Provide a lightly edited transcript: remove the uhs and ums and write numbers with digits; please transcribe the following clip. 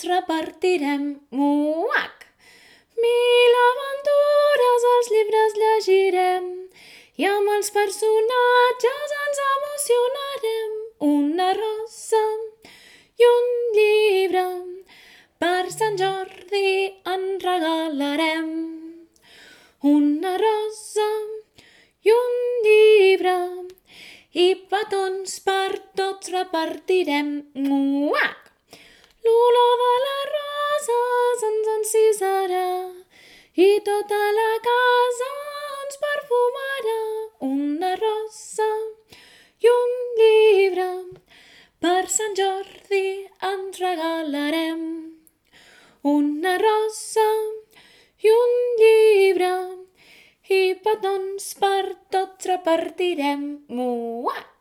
tots repartirem. Muac! 1000 aventures als llibres llegirem i amb els personatges ens emocionarem. Una rosa i un llibre per Sant Jordi en regalarem. Una rosa i un llibre i petons per tots repartirem. Muac! L'olor de les roses ens encisarà i tota la casa ens perfumarà. Una rosa i un llibre per Sant Jordi ens regalarem. Una rosa i un llibre i petons per tots repartirem. Muac!